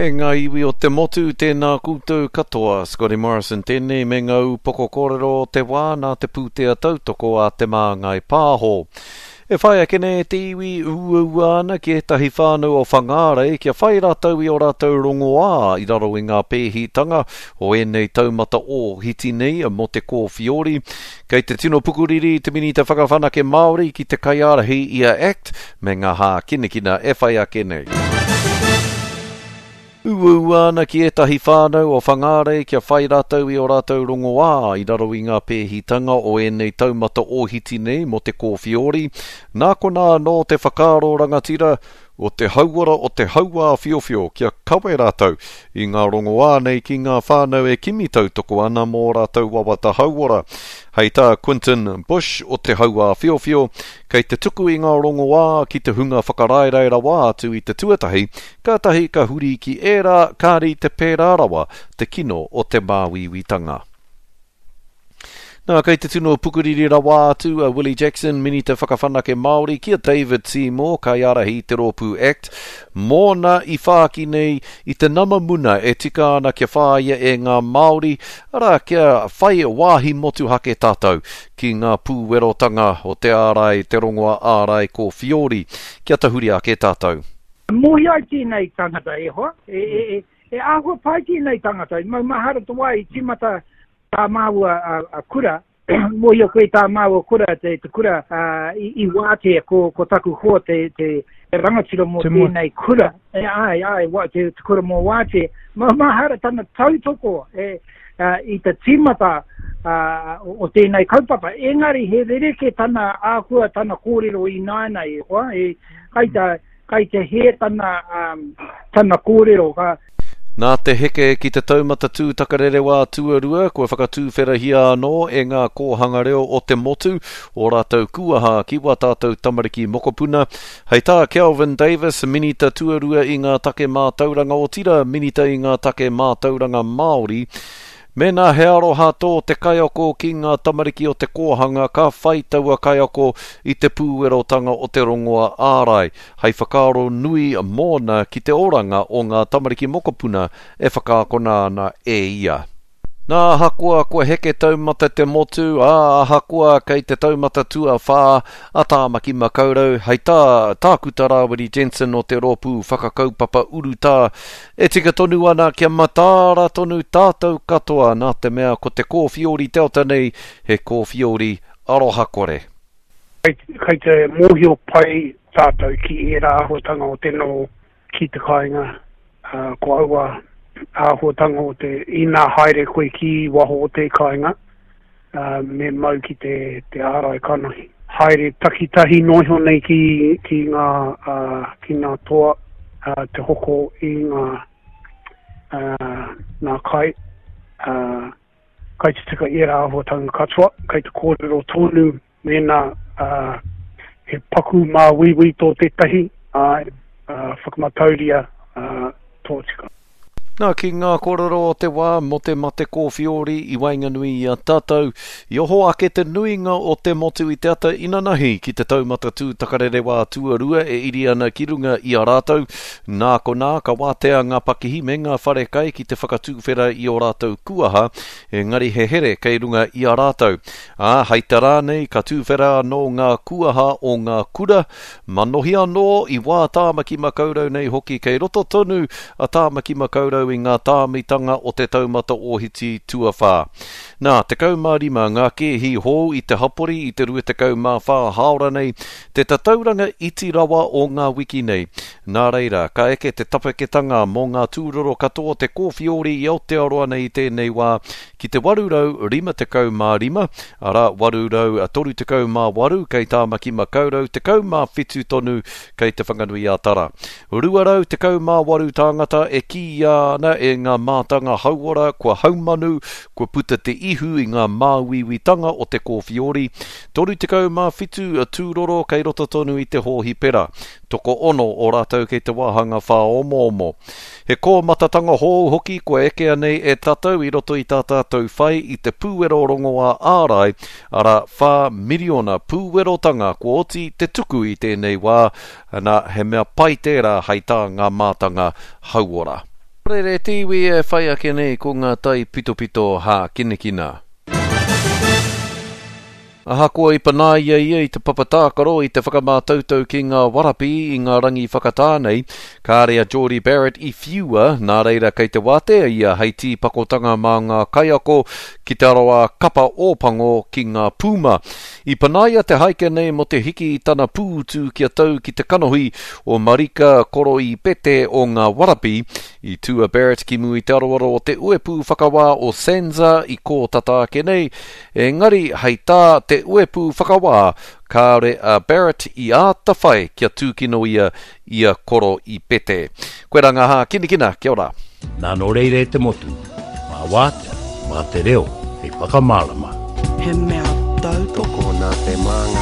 E ngā iwi o te motu, tēnā koutou katoa. Scotty Morrison tēnei me ngā upoko kōrero o te wā nā te pūtea tautoko a Te Māngai Pāho. E whai ake nei te iwi uaua ana ki ētahi whānau o Whangārei kia whai rātou i ō rātou rongoā i raro i ngā pēhitanga o ēnei taumata ōhiti nei mō te kōwhiori. Kei te tino pukuriri te Minita Whakawhanake Māori ki te kaiārahi i a act me ngā hākinakina e whai ake nei. Uaua ana ki ētahi whānau o Whangārei kia whai rātou i ō rātou rongoā i raro i ngā pēhitanga o ēnei taumata ōhiti nei mō te kōwhiori. Nā konā anō te whakaaro rangatira o te hauora o te hauāwhiowhio kia kawe rātou i ngā rongoā nei ki ngā whānau e kimi tautoko ana mō ō rātou wawata hauora. Hei tā Quinton Bush o te hauāwhiowhio, kei te tuku i ngā rongoā ki te hunga whakaraerae rawa atu i te tuatahi, kātahi ka huri ki ērā kāri te pērā rawa te kino o te māuiuitanga. Nā, kei te tino pukuriri rawa atu a Willie Jackson, Minita Whakawhanake Māori, ki a David Seymour, kaiārahi i te rōpū act, mōna i whāki nei i te nama muna e tika ana kia whāia e ngā Māori, arā, kia whai wāhi motuhake tātou ki ngā pūwerotanga o te ārai, te rongoa ārai kōwhiori, kia tahuri ake tātou. Mōhio ai tēnei tangata, e hoa, e, e, e, e āhua pai tēnei tangata, i maumahara te wā i tīmata tā māua a, a kura, mōhio koe tā māua kura, te, te kura a, i, i wātea ko, ko taku hoa te, te, te rangatira mō tēnei kura, e, ai, ai, wa, te, te kura mō wātea, maumahara tana tautoko e, uh, i te tīmata uh, o tēnei kaupapa. Engari he rerekē tana āhua, tana kōrero ināianei, e hoa, e, kai te, kai te hē tana, um, tana kōrero. Ka... Nā te heke ki te taumata tūtakarerewā tuarua, kua whakatūwherahia anō e ngā kōhanga reo o te motu ō rātou kūaha ki wā tātou tamariki mokopuna. Hei tā Kelvin Davis, Minita tuarua i ngā take mātauranga otirā Minita i ngā take mātauranga Māori, Mēnā he aroha tō te kaiako ki ngā tamariki o te kōhanga ka whai taua kaiako i te pūwerotanga o te rongoa ārai hei whakaaro nui mōna ki te oranga o ngā tamariki mokopuna e whakaakona ana e ia. Nā, ahakoa kua heke taumata te motu, ā, ahakoa kei te taumata tuawhā a Tāmaki Makaurau, hei tā Tākuta Rāwiri Jensen o te Rōpū Whakakaupapa Urutā, e tika tonu ana kia mataara tonu tātou katoa nā te mea ko te kōwhiori Delta nei he kōwhiori aroha-kore. Kei te mōhio pai tātou ki ērā āhuatanga o te noho ki te kāinga, ā, ko aua āhuatanga o te, inā haere koe ki waho o te kāinga, ā, me mau ki te, te ārai kanohi. Haere takitahi noa iho nei ki, ki ngā, ā, ki ngā toa, ā, te hoko i ngā, ā, ngā kai, ā, kai te tika ērā āhuatanga katoa, kai te kōrero tonu Mēnā he paku māuiui tō tētahi, āe, whakamatauria tōtika. Nā, ki ngā kōrero o te wā mō te mate kōwhiori i waenganui i a tātou, i oho ake te nuinga o te motu i te ata inanahi ki te taumata tūtakarerewā tuarua e iri ana ki runga i a rātou. Nā konā, ka wātea ngā pakihi me ngā wharekai ki te whakatūwhera i ō rātou kuaha, engari he here kei runga i a rātou. Ā, hei te rā nei ka tūwhera anō ngā kuaha o ngā kura, manohi anō i wā Tāmaki Makaurau nei hoki kei roto tonu a Tāmaki Makaurau i ngā tāmitanga o te taumata ōhiti tuawhā. Nā, 15 ngā kēhi hou i te hapori i te 24 hāora nei, te tatauranga iti rawa o ngā wiki nei. Nā reira, ka eke te tapeketanga mō ngā tūroro katoa o te kōwhiori i Aotearoa nei i tēnei wā ki te 855, arā, 838 kei Tāmaki Makaurau, 17 tonu kei Te Whanganui-a-Tara. 218 tāngata e kīia ana e ngā mātanga hauora kua haumanu, kua puta te ihu i ngā māuiuitanga o te kōwhiori, 37 tūroro kei roto tonu i te hōhipera, tokoono o rātou kei te wāhanga whāomoomo. He kōmatatanga hou hoki kua ekea nei e tatou i roto i tā tātou whai i te pūwero rongoā ārai, arā, 4 miriona pūwerotanga kua oti te tuku i tēnei wā, ana, he mea pai tērā hei tā ngā mātanga hauora. Rere te iwi e whai ake nei ko ngā taipitopito hākinakina. Ahakoa i panaia ia i te papa tākaro i te whakamātautau ki ngā Warapi i ngā rangi whakatā nei, kāre a Jordie Barrett i whiua, nā reira kei te wātea ia hei tīpakotanga mā ngā kaiako ki te aroā kapa Ōpango ki ngā Pūma. I panaia te haike nei mō te hiki i tana pūtu kia tau ki te kanohi o Marika Koroipete o ngā Warapi. I tū a Barrett ki mua i te aroaro o te uepū whakawā o SANZAR i kō tata ake nei, engari hei tā te uepū whakawā, kāore a Barrett i āta whai kia tūkino ia i a Koroipete. Koirā ngā hākinakina, kia ora. Nā nō reira e te motu, mā wātea, mā te reo hei whakamārama. He mea tautoko. Tokona te māngai.